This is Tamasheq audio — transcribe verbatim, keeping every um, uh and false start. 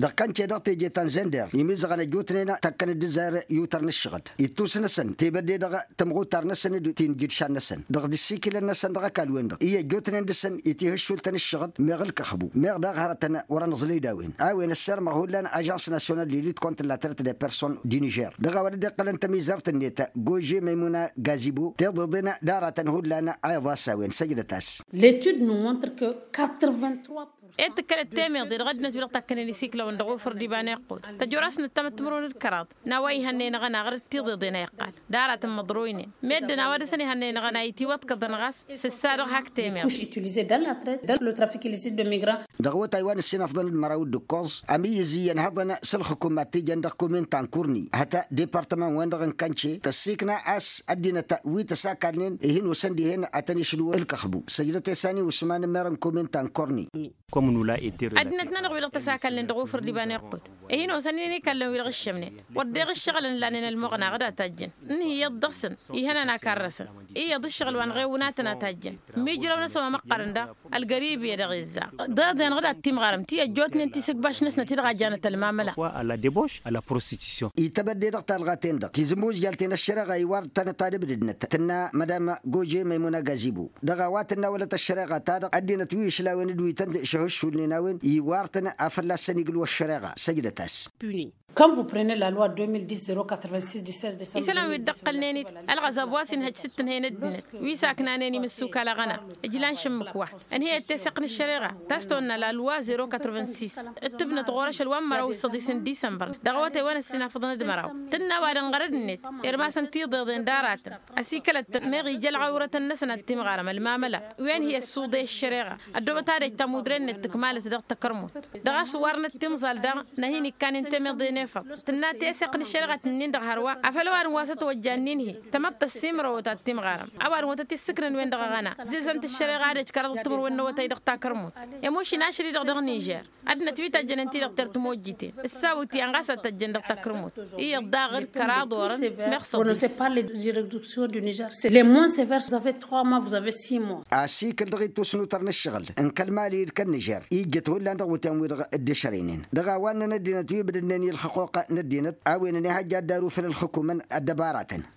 dăɣ-kănce dăɣ-teje ta n-zender imizăɣăn ăjjootnen takkăn d-ǝzzar i-utăr n-ǝššăɣǝl ittus-năsăn tebădde dăɣ-tămɣutar-năsăn d-tinjǝdšan-năsăn dăɣ-dd-ǝssikǝlăn-năsăn dăɣ-ăkall-wen-dăɣ i-ăjjootnen dăɣ-săn itihǝššul-tăn ǝššăɣǝl meɣ ǝlkăxbu meɣ daɣ hărătăn wăr-ănẓǝlăy d-a-wen a-wen ăssirmăɣ hullan ažans nasyonal d-elit kont n-latret de person d-nižer dăɣ-a-wa dd-iqqălăn tămizărt-net gože măymuna gazibo tiḍeḍen d-aratăn hullan a iḍas a-wen săjdăt-as. L'étude nous montre que quatre-vingt-trois pour cent. Ed tǝkkălăt temeḍe dăɣ-ăddinăt wi dăɣ-takkănen isiklăwăn dăɣ-ufǝr d-iba n-iqqud tăjor-asnăt tamăttămrăwăn d-kăraḍ n-a-wa ihănnen aɣăna ɣur-dd tiḍeḍen a iqqal d-aratăn măḍroynen meddǝn a-wa dăɣ-săn ihănnen aɣăna itiwăḍkăḍăn ɣas s-ǝssa dăɣ-hak temeḍe. Dăɣ-awătay wa n-ǝssinăfḍăn d-măraw d-ǝkkoẓ ămǝyyǝz iyyăn hăḍăn s-ǝlxǝkum ad-t-ijăn dăɣ-kumin ta n-kurni hăta departăman-wen-dăɣ n-kănce tăssikna a-s ăddinăt wi tăsakalnen ihin osăn dihen ad-tăn-išǝlwǝl ǝlkăxbu săjdăt i-sani usman n-merăn kumin ta n-kurni. Ăddinăt-nănăɣ wi-dăɣ tăsakalnen dăɣ-ufǝr d-iba n-iqqud ihin osăn-in ikallăn wi-dăɣ ǝššămnen wăr deɣ ǝššăɣǝlăn lanen ălmuɣna ad-ad-tajjăn ǝnhǝyăḍ dăɣ-săn ihănan a karrăsăn iyyăḍ ǝššăɣǝl wa n-ɣewǝnatăn a tajjăn mijrăw-năsăn wa măqqărăn daɣ ălgăribi a dăɣ-izzaɣ. Deḍen-dăɣ d-ad-timɣarăm ti ăjjootnen tisǝgbaš-năsnăt i-dăɣ a janăt ălmamăla. Ităbădde dăɣ-talɣa-ten-dăɣ tizǝmmuzjal-ten ăššăreɣa iwar-tăn tadǝbdǝdnăt tǝnna madam gože măymuna gazibu dăɣ-a-wa tǝnnawălăt ăššăreɣa-ta-dăɣ ăddinăt wi ǝšlawăn d-wi tăn-šăhǝššulnen a-wen iwar-tăn a fălla-săn igǝl wa ăššăreɣa săjdăt-as. Quand vous prenez la loi deux mille dix zéro quatre-vingt-six du seize décembre isălan wi dd-ăqqălnen-dd ălɣăzab wa s-inhăj s-dd-tǝnhăyăn ăddinăt wi saknanen imǝssukal aɣăna ǝjlan šǝmmǝk wa ǝnhǝyăt teseɣt n-ăššăreɣa ta s-tăwănna la loi zéro quatre-vingt-six d-tǝbnăt ɣur-ašăl wa n-măraw s-săḍis n-disămbăr dăɣ-awătay wa n-ăssinafăḍăn d-măraw tǝnna ăwadǝm ɣărăd-net irmasăn tiḍeḍen d-aratăn ăsikălăt-tăn meɣ ija ălɣawrătăn-năsăn ad-timɣarăm ălmamăla wi ănhǝyăt s-uḍe ăššăreɣa ăddoobăt ad-ăj tamudre-net tǝkmalăt dăɣ-takărmut dăɣ-a-s ǝwwarnăt timẓal daɣ n-ad-hin-ikkanen temeḍe n-efăḍ tǝnna teseɣt n-ăššăreɣa tǝnnin-dăɣ hărwa afăl ăwadǝm wa s-ătwăjja ǝnnin-hi tămăḍt tăssimrăwăt ad-timɣarăm ăwadǝm wa tăt-issǝknăn-wen-dăɣ aɣăna zilsăn-t ăššăreɣa ad-ăj kăraḍăt timǝrwen n-awătay dăɣ-takărmut. Emuš inašăl-i-dăɣ dăɣ-nižer ăddinăt wi tăjjănen-t-i-dăɣ tertǝmojjiten ǝssawǝt-i ănɣas ad-tăjjăn dăɣ-takărmut iyyăḍ daɣ d-kăraḍ orăn meɣ săḍis. Păr les juridictions du nižer les moins severs vous avez trois mois vous avez six mois. Asikǝl dăɣ-ittus n-utăr n-ǝššăɣǝl n-kăl-mali d-kăl-nižer ijjăt hullan dăɣ-wǝtyan-wi-dăɣ dd-ešărăynen dăɣ-a-wa ǝnnăn ăddinăt wi bǝdǝnnen i-ălxăqquq n-ăddinăt a-wen ănihăjja ad-daru făll-ălxǝkumăn ăddăbaratăn.